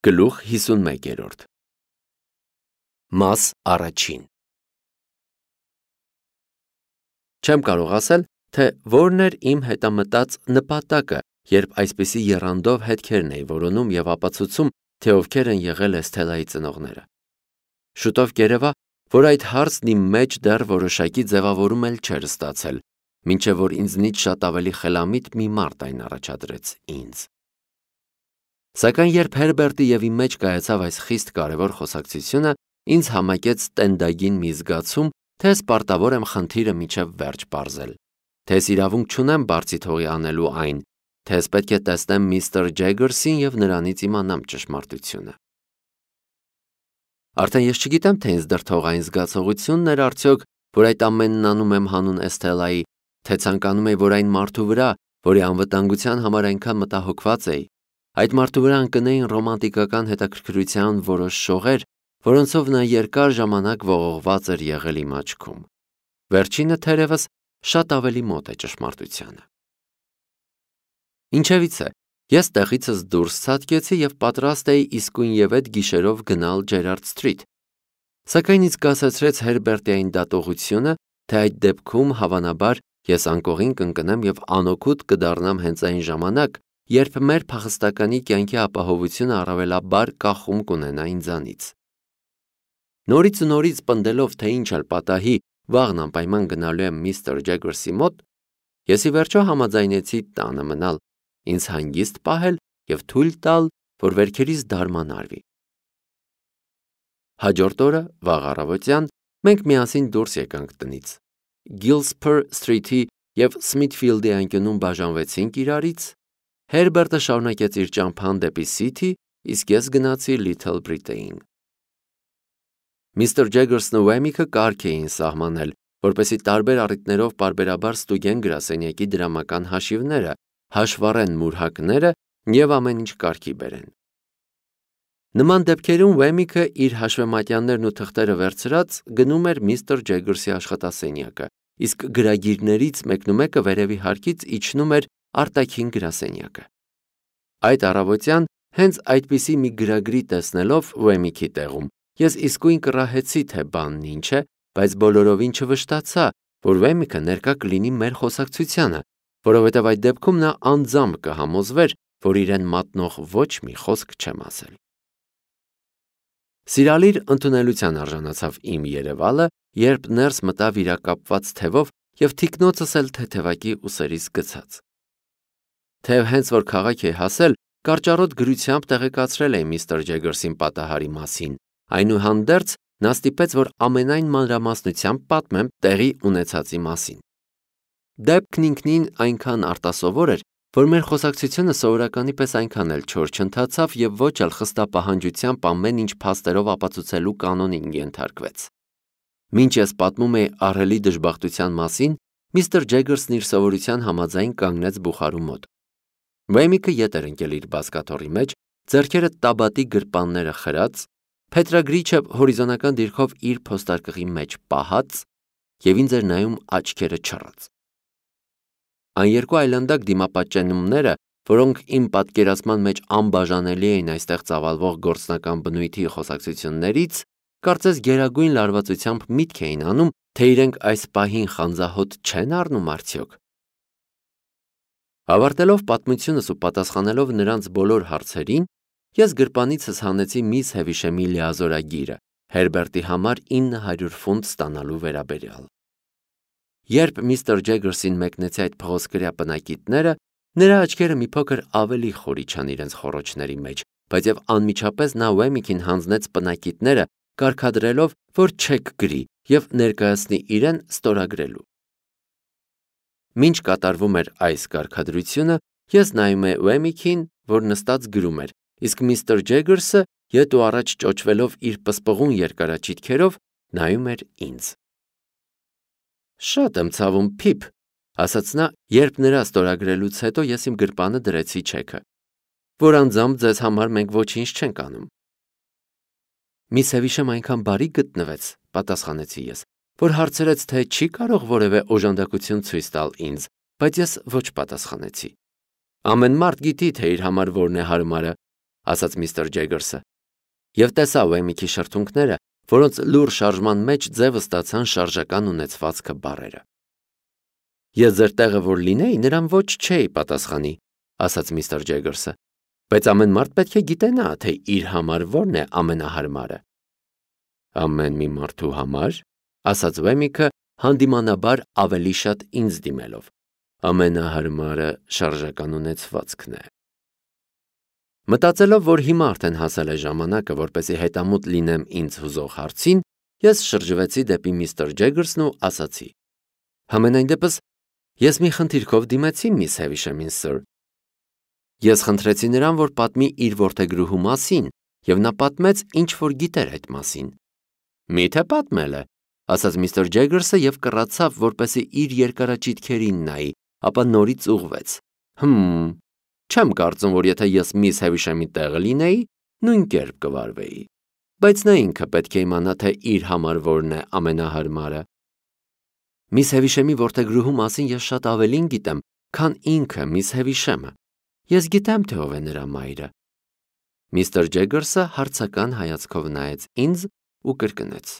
Գլուխ 51 Մաս առաջին Չեմ կարող ասել, թե որն էր իմ հետամտած նպատակը, երբ այսպիսի եռանդով հետքերն էի որոնում և ապացուցում, թե ովքեր են եղել Էսթելայի ծնողները։ Շուտով կերևա, որ այդ հարցն իմ մեջ դեռ որոշակի ձևավորում էլ չէր ստացել, մինչև որ ինձնից շատ ավելի խելամիտ մի մարդ այն առաջադրեց ինձ։ Սակայն երբ Հերբերտի և իմ մեջ կայացավ այս խիստ կարևոր խոսակցությունը, ինձ համակեց տենդագին մի զգացում, թե ես պարտավոր եմ խնդիրը մինչև վերջ պարզել, թե ես իրավունք չունեմ բարձի թողի անելու այն, թե ես պետք է տեսնեմ միստր Ջեգերսին և նրանից իմանամ ճշմարտությունը։ Արդեն ես չգիտեմ, թե ինձ դրդող այն զգացողությունն էր արդյոք, որ այդ ամենն անում եմ հանուն Էսթելայի, թե ցանկանում էի, որ այն մարդու վրա, որի անվտանգության համար այնքան մտահոգված էի, այդ մարդու վրա ընկնեին ռոմանտիկական հետաքրքրության որոշ շողեր, որոնցով նա երկար ժամանակ ողողված էր եղել իմ աչքում։ Վերջինը թերևս շատ ավելի մոտ է ճշմարտությանը։ Ինչևիցե, ես տեղիցս դուրս ցատկեցի և պատրաստ էի իսկույնևեթ գիշերով գնալ Ջերարդ Սթրիթ։ Սակայն ինձ կասեցրեց Հերբերտի այն դատողությունը, թե այդ դեպքում հավանաբար ես անկողին կընկնեմ և անօգուտ կդառնամ հենց այն ժամանակ, երբ մեր փախստականի կյանքի ապահովությունը առավելաբար կախում կունենա ինձանից։ Նորից ու նորից պնդելով, թե ինչ էլ պատահի, վաղն անպայման գնալու եմ միստր Ջեգերսի մոտ, ես ի վերջո համաձայնեցի տանը մնալ, ինձ հանգիստ պահել և թույլ տալ, որ վերքերիս դարման արվի։ Հաջորդ օրը, վաղ առավոտյան, մենք միասին դուրս եկանք տնից։ Գիլսփըր Սթրիթի և Սմիթֆիլդի անկյունում բաժանվեցինք իրարից, Հերբերտը շարունակեց իր ճամփան դեպի Սիթի, իսկ ես գնացի Լիթլ Բրիտեին։ Միստր Ջեգերսն ու Ուեմիքը կարգ էին սահմանել, որպեսզի տարբեր առիթներով պարբերաբար ստուգեն գրասենյակի դրամական հաշիվները, հաշվառեն մուրհակները և ամեն ինչ կարգի բերեն։ Նման դեպքերում Ուեմիքը իր հաշվեմատյաններն ու թղթերը վերցրած գնում էր միստր Ջեգերսի աշխատասենյակը, իսկ գրագիրներից մեկնումեկը վերևի հարկից իջնում էր արտաքին գրասենյակը։ Այդ առավոտյան հենց այդպիսի մի գրագրի տեսնելով Ուեմիքի տեղում, ես իսկույն կռահեցի, թե բանն ինչ է, բայց բոլորովին չվշտացա, որ Ուեմիքը ներկա կլինի մեր խոսակցությանը, որովհետև այդ դեպքում նա անձամբ կհամոզվեր, որ իրեն մատնող ոչ մի խոսք չեմ ասել։ Սիրալիր ընդունելության արժանացավ իմ երևալը, երբ ներս մտա վիրակապված թևով և թիկնոցս էլ թեթևակի ուսերից գցած։ Թեև հենց որ քաղաք էի հասել, կարճառոտ գրությամբ տեղեկացրել էի միստր Ջեգերսին պատահարի մասին, այնուհանդերձ նա ստիպեց, որ ամենայն մանրամասնությամբ պատմեմ տեղի ունեցածի մասին։ Դեպքն ինքնին այնքան արտասովոր էր, որ մեր խոսակցությունը սովորականի պես այնքան էլ չոր չընթացավ և ոչ էլ խստապահանջությամբ ամեն ինչ փաստերով ապացուցելու կանոնին ենթարկվեց։ Մինչ ես պատմում էի ահռելի դժբախտության մասին, միստր Ջեգերսն իր սովորության համաձայն կանգնեց բուխարու մոտ։ Ուեմիքը ետ էր ընկել իր բազկաթոռի մեջ, ձեռքերը տաբատի գրպանները խրած, փետրագրիչը հորիզոնական դիրքով իր փոստարկղի մեջ պահած և ինձ էր նայում աչքերը չռած։ Այն երկու այլանդակ դիմապատճենումները, որոնք իմ պատկերացման մեջ անբաժանելի էին այստեղ ծավալվող գործնական բնույթի խոսակցություններից, կարծես գերագույն լարվածությամբ միտք էին անում, թե իրենք այս պահին խանձահոտ չեն առնում արդյոք։ Ավարտելով պատմությունս ու պատասխանելով նրանց բոլոր հարցերին, ես գրպանիցս հանեցի միս Հևիշեմի լիազորագիրը Հերբերտի համար 900 ֆունտ ստանալու վերաբերյալ։ Երբ միստր Ջեգերսին մեկնեցի այդ փղոսկրյա պնակիտները, նրա աչքերը մի փոքր ավելի խորիչան իրենց խոռոչների մեջ, բայց և անմիջապես նա Ուեմիքին հանձնեց պնակիտները, կարգադրելով, որ չեք գրի և ներկայացնի իրեն ստորագրելու։ Մինչ կատարվում էր այս կարգադրությունը, ես նայում էի Ուեմիքին, որ նստած գրում էր, իսկ միստր Ջեգերսը ետ ու առաջ ճոճվելով իր պսպղուն երկարաչիթքերով նայում էր ինձ։ Շատ եմ ցավում, Փիփ, ասաց նա, երբ նրա ստորագրելուց հետո ես իմ գրպանը դրեցի չեքը, որ անձամբ ձեզ համար մենք ոչինչ չենք անում։ Միս Հևիշեմ այնքան բարի գտնվեց, պատասխանեցի ես, որ հարցրեց, թե չի կարող որևէ օժանդակություն ցույց տալ ինձ, բայց ես ոչ պատասխանեցի։ Ամեն մարդ գիտի, թե իր համար որն է հարմարը, ասաց միստր Ջեգերսը։ Եվ տեսա Ուեմիքի շրթունքները, որոնց լուր շարժման մեջ ձևը ստացան շարժական ունեցվածքը բառերը։ Ես ձեր տեղը որ լինեի, նրան ոչ չէի պատասխանի, ասաց միստր Ջեգերսը, բայց ամեն մարդ պետք է գիտենա, թե իր համար որն է ամենահարմարը։ Ամեն մի մարդու համար, ասաց Ուեմիքը, հանդիմանաբար ավելի շատ ինձ դիմելով, ամենահարմարը շարժական ունեցվածքն է։ Մտածելով, որ հիմա արդեն հասել է ժամանակը, որպեսզի հետամուտ լինեմ ինձ հուզող հարցին, ես շրջվեցի դեպի միստր Ջեգերսն ու ասացի. Համենայն դեպս, ես մի խնդիրքով դիմեցի միս Հևիշեմին, սըր։ Ես խնդրեցի նրան, որ պատմի իր որդեգրուհու մասին, եւ նա պատմեց, ինչ որ գիտեր այդ մասին։ Միթե պատմել է, ասաց միստր Ջեգերսը եւ կռացավ, որպեսզի իր երկարաճիթքերին նայի, ապա նորից ուղվեց։ Չեմ կարծում, որ եթե ես միս Հևիշեմի տեղը լինեի, նույն կերպ կվարվեի, բայց նա ինքը պետք է իմանա, թե իր համար որն է ամենահարմարը։ Միս Հևիշեմի որդեգրուհու մասին ես շատ ավելին գիտեմ, քան ինքը միս Հևիշեմը։ Ես գիտեմ, թե ով է նրա մայրը։ Միստր Ջեգերսը հարցական հայացքով նայեց ինձ ու կրկնեց.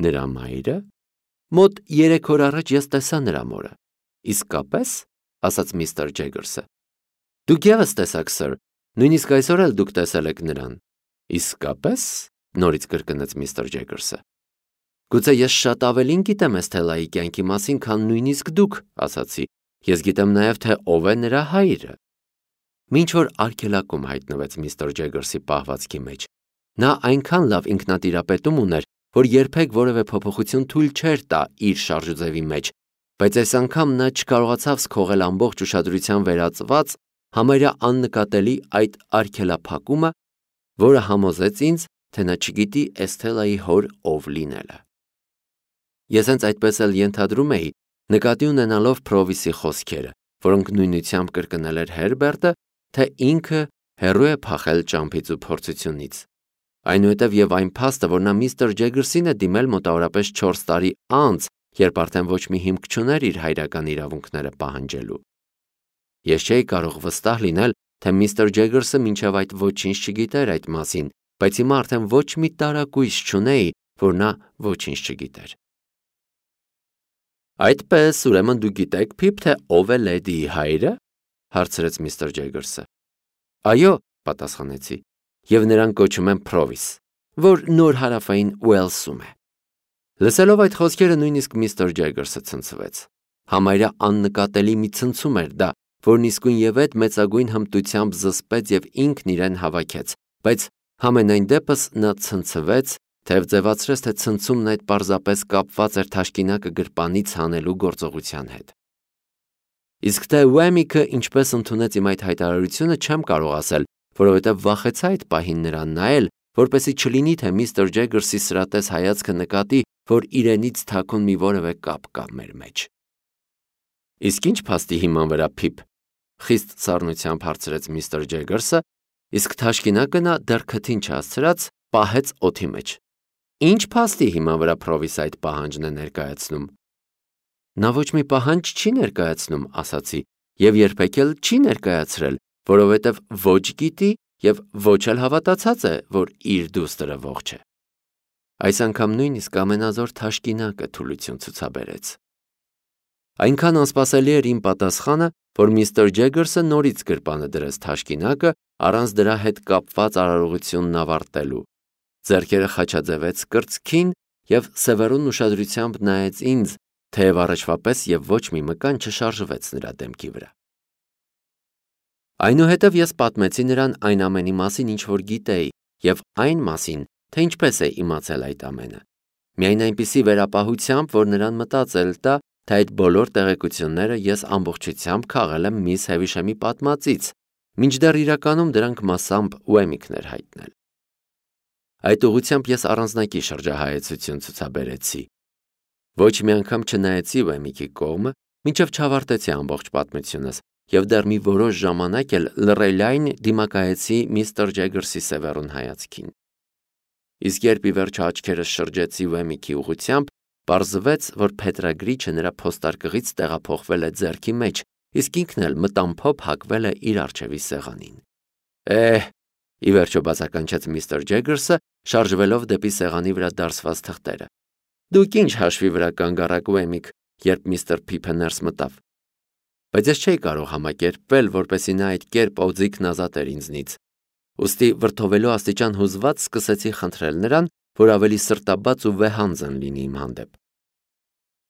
Նրա մայրը։ Մոտ 3 օր առաջ ես տեսա նրա մորը։ Իսկապես, ասաց միստր Ջեգերսը։ Դուք ևս տեսաք, սըր, նույնիսկ այսօր էլ դուք տեսել եք նրան։ Իսկապես, նորից կրկնեց միստր Ջեգերսը։ Գուցե ես շատ ավելին գիտեմ Էսթելայի կյանքի մասին, քան նույնիսկ դուք, ասացի։ Ես գիտեմ նաև, թե ով է նրա հայրը։ Մինչ որ արգելակում հայտնվեց միստր Ջեգերսի պահվածքի մեջ, նա այնքան լավ ինքնատիրապետում ուներ, որ երբեք որևէ փոփոխություն թույլ չէր տա իր շարժուձևի մեջ, բայց այս անգամ նա չկարողացավ սքողել ամբողջ ուշադրության վերածված համարյա աննկատելի այդ արգելափակումը, որը համոզեց ինձ, թե նա չգիտի Էսթելայի հոր ով լինելը։ Ես հենց այդպես էլ ենթադրում էի, նկատի ունենալով Փրովիսի խոսքերը, որոնք նույնությամբ կրկնել էր Հերբերտը, թե ինքը հեռու է փախել ճամփից ու փորձությունից։ Այնուհետև եւ այն փաստը, որ նա միստր Ջեգերսին է դիմել մոտավորապես 4 տարի անց, երբ արդեն ոչ մի հիմք չուներ իր հայրական իրավունքները պահանջելու։ Ես չէի կարող վստահ լինել, թե միստր Ջեգերսը մինչև այդ ոչինչ չգիտեր այդ մասին, բայց հիմա արդեն ոչ մի տարակույս չունեի, որ նա ոչինչ չգիտեր։ Այդպես, ուրեմն դու գիտեք, Փիփ, թե ով է լեդիի հայրը, հարցրեց միստր Ջեգերսը։ Այո, պատասխանեցի, եւ նրան կոչում են Փրովիս, որ նոր հարավային Ուելսում է։ Լսելով այդ խոսքերը նույնիսկ միստր Ջեգերսը ցնցվեց։ Համարյա աննկատելի մի ցնցում էր դա, որն իսկույն եւ այդ մեծագույն հմտությամբ զսպեց եւ ինքն իրեն հավաքեց, բայց համենայն դեպս նա ցնցվեց, թեև ձևացրեց, թե ցնցումն այդ պարզապես կապված էր թաշկինակը գրպանից հանելու գործողության հետ։ Իսկ թե Ուեմիքը ինչպես ընդունեց իմ այդ հայտարարությունը, չեմ կարող ասել, որովհետև վախեցա այդ պահին նրան նայել, որպեսզի չլինի, թե միստր Ջեգերսի սրատես հայացքը նկատի, որ իրենից թաքուն մի որևէ կապ կա մեր մեջ։ Իսկ ինչ փաստի հիման վրա, Փիփ, խիստ սառնությամբ հարցրեց միստր Ջեգերսը, իսկ թաշկինակը նա դեռ քթին չհասցրած պահեց օդի մեջ։ Ինչ փաստի հիման վրա Փրովիս այդ պահանջն է ներկայացնում։ Նա ոչ մի պահանջ չի ներկայացնում, ասացի, եւ երբեք էլ չի ներկայացրել, որովհետև ոչ գիտի եւ ոչ էլ հավատացած է, որ իր դուստրը ողջ է։ Այս անգամ նույնիսկ ամենազոր թաշկինակը թուլություն ցուցաբերեց։ Այնքան անսպասելի էր իմ պատասխանը, որ միստր Ջեգերսը նորից գրպանը դրեց թաշկինակը առանց դրա հետ կապված արարողությունն ավարտելու։ Ձեռքերը խաչաձևեց կրծքին եւ սևեռուն ուշադրությամբ նայեց ինձ, թեև առաջվա պես եւ ոչ մի մկան չշարժվեց նրա դեմքի վրա։ Այնուհետև ես պատմեցի նրան այն ամենի մասին, ինչ որ գիտեի, եւ այն մասին, թե ինչպես է իմացել այդ ամենը։ Միայն այնպիսի վերապահությամբ, որ նրան մտածել տա, թե այդ բոլոր տեղեկությունները ես ամբողջությամբ քաղել եմ միս Հևիշեմի պատմածից, մինչդեռ իրականում դրանք մասամբ Ուեմիքն էր հայտնել։ Այդ ուղղությամբ ես առանձնակի շրջահայեցություն ցուցաբերեցի։ Ոչ մի անգամ չնայեցի Ուեմիքի կողմը, մինչև չավարտեցի ամբողջ պատմությունս, եւ դեռ մի որոշ ժամանակ էլ լռելային դիմակայեցի միստր Ջեգերսի սևեռուն հայացքին։ Իսկ երբ ի վերջո աչքերս շրջեցի Ուեմիքի ուղղությամբ, պարզվեց, որ փետրագրիչը նրա փոստարկղից տեղափոխվել է ձեռքի մեջ, իսկ ինքն էլ մտամփոփ հակվել է իր առջևի սեղանին։ ի վերջո բացականչեց միստր Ջեգերսը, շարժվելով դեպի սեղանի վրա դարսված թղթերը։ Դուք ինչ հաշվի վրա կանգ առաք, Ուեմիկ, երբ միստր Փիփը ներս մտավ։ Բայց ես չէի կարող համակերպվել, որպեսզի նա այդ կերպ օձիքն ազատեր ինձնից։ Ուստի վրդովելու աստիճան հուզված սկսեցի խնդրել նրան, որ ավելի սրտաբաց ու վեհանձն լինի իմ հանդեպ։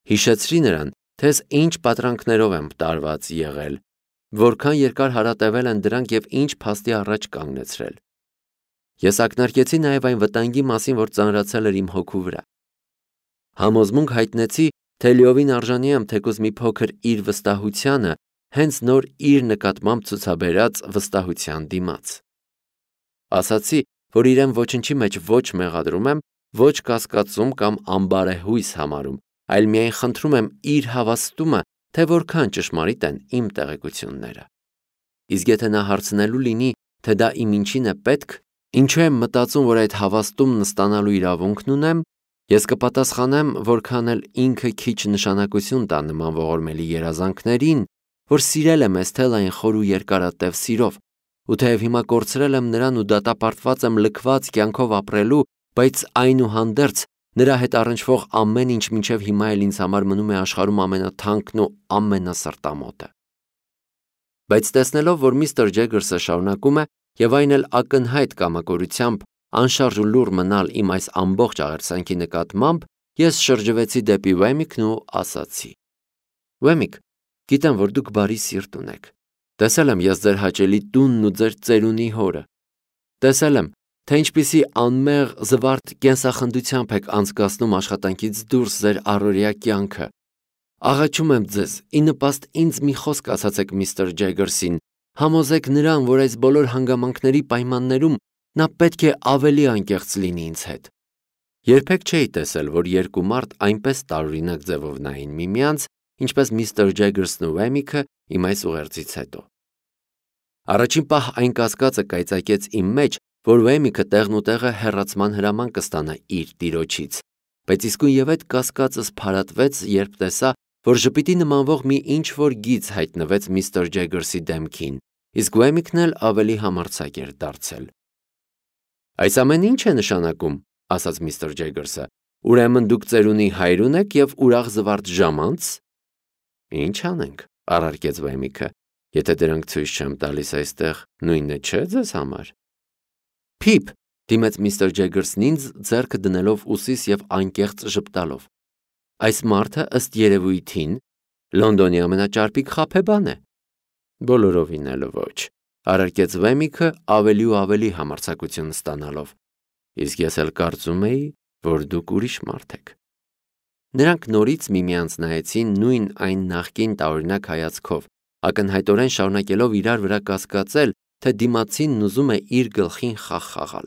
Հիշեցրի նրան, թե ես ինչ պատրանքներով եմ տարված եղել, որքան երկար հարատևել են դրանք եւ ինչ փաստի առաջ կանգնեցրել։ Ես ակնարկեցի նաև այն վտանգի մասին, որ ծանրացել էր իմ հոգու վրա։ Համոզմունք հայտնեցի, թե լիովին արժանի եմ թեկուզ մի փոքր իր վստահությանը, հենց նոր իր նկատմամբ ցուցաբերած վստահության դիմաց։ Ասացի, որ իրեն ոչնչի մեջ ոչ մեղադրում եմ, ոչ կասկածում կամ անբարեհույս համարում, այլ միայն խնդրում եմ իր հավաստումը, թե որքան ճշմարիտ են իմ տեղեկությունները։ Իսկ եթե նա հարցնելու լինի, թե դա իմ ինչին է պետք, ինչու եմ մտածում, որ այդ հավաստումն ստանալու իրավունքն ունեմ, ես կպատասխանեմ, որքան էլ ինքը քիչ նշանակություն տա նման ողորմելի երազանքներին, որ սիրել եմ Էսթել այն խոր ու երկարատև սիրով, ու թեև հիմա կորցրել եմ նրան ու դատապարտված եմ լքված կյանքով ապրելու, բայց այնուհանդերձ նրա հետ առնչվող ամեն ինչ մինչև հիմա էլ ինձ համար մնում է աշխարհում ամենաթանկն ու ամենասրտամոտը։ Բայց տեսնելով, որ միստր Ջեգերսը շարունակում է եւ այն էլ ակնհայտ կամակորությամբ անշարժ ու լուռ մնալ իմ այս ամբողջ աղերսանքի նկատմամբ, ես շրջվեցի դեպի Ուեմիկն ու ասացի. Ուեմիկ, գիտեմ, որ դուք բարի սիրտ ունեք։ Տեսել եմ ես ձեր հաճելի տունն ու ձեր ծերունի հորը։ Տեսել եմ, թե ինչպիսի անմեղ զվարթ կենսախնդությամբ եք անցկացնում աշխատանքից դուրս ձեր առօրյա կյանքը։ Աղաչում եմ ձեզ, ի նպաստ ինձ մի խոսք ասացեք միստր Ջեգերսին, համոզեք նրան, որ այս բոլոր հանգամանքների պայմաններում նա պետք է ավելի անկեղծ լինի ինձ հետ։ Երբեք չէի տեսել, որ երկու մարդ այնպես տարօրինակ ձևով նային միմյանց, ինչպես միստր Ջեգերսն ու Ուեմիկը իմ այս ուղերձից հետո։ Առաջին պահ այն կասկածը կայծակեց իմ մեջ, որ Ուեմիկը տեղնուտեղը հեռացման հրաման կստանա իր տիրոջից, բայց իսկույնև այդ կասկածս փարատվեց, երբ տեսա, որ ժպիտի նմանվող մի ինչ-որ գիծ հայտնվեց միստր Ջեգերսի դեմքին, իսկ Ուեմիկն էլ ավելի համարձակ էր դարձել։ Այս ամեն ինչ է նշանակում, ասաց միստր Ջեգերսը, ուրեմն դուք ծերունի հայր ունեք եւ ուրախ զվարթ ժամանց։ Ինչ անենք, առարկեց Ուեմիկը, եթե դրանք ցույց չեմ տալիս այստեղ, նույնն է չէ ձեզ համար։ Փիփ, դիմեց միստր Ջեգերսն ինձ, ձեռքը դնելով ուսիս եւ անկեղծ ժպտալով։ Այս մարդը ըստ երևույթին Լոնդոնի ամենաճարպիկ խաբեբան է։ Բոլորովին էլ ոչ, առարկեց Ուեմիկը ավելի ու ավելի համարձակություն ստանալով։ Իսկ ես էլ կարծում էի, որ դուք ուրիշ մարդ եք։ Նրանք նորից միմյանց նայեցին նույն այն նախկին տարօրինակ հայացքով, ակնհայտորեն շարունակելով իրար վրա կասկածել, թե դիմացինն ուզում է իր գլխին խաղ խաղալ։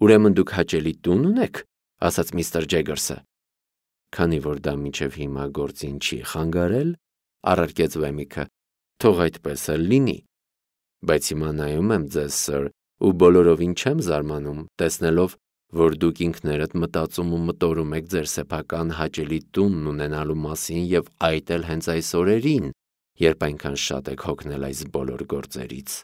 Ուրեմն դուք հաճելի տուն ունեք, ասաց միստր Ջեգերսը։ Քանի որ դա մինչև հիմա գործին չի խանգարել, առարկեց Ուեմիկը, թող այդպես էլ լինի։ Բայց հիմա նայում եմ ձեզ, սըր, ու բոլորովին չեմ զարմանում, տեսնելով, որ դուք ինքներդ մտածում ու մտորում եք ձեր սեփական հաճելի տունն ունենալու մասին եւ այդ էլ հենց այս օրերին, երբ այնքան շատ եք հոգնել այս բոլոր գործերից։